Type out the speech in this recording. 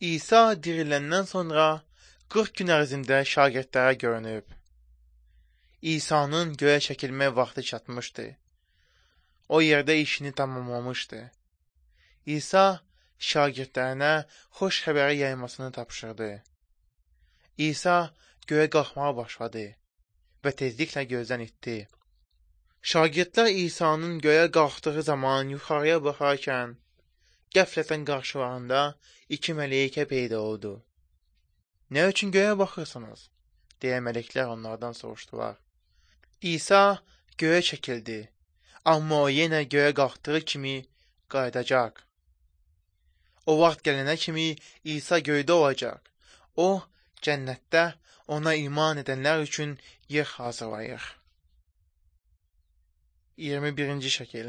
İsa diriləndən sonra 40 gün ərzində şagirdlərə görünüb. İsa'nın göyə çəkilmə vaxtı çatmışdı. O yerdə işini tamamlamışdı. İsa şagirdlərinə xoş xəbəri yaymasını tapşırdı. İsa göyə qalxmağa başladı və tezliklə gözdən itdi. Şagirdlər İsa'nın göyə qalxdığı zaman yuxarıya baxarkən, qəflətən qarşılarında iki mələikə peyda oldu. "Nə üçün göyə baxırsınız?" deyə mələklər onlardan soruşdular. İsa göyə çəkildi, amma o yenə göyə qalxdığı kimi qayıdacaq. O vaxt gələnə kimi İsa göydə olacaq. O, cənnətdə ona iman edənlər üçün yer hazırlayır. 21-ci şəkil.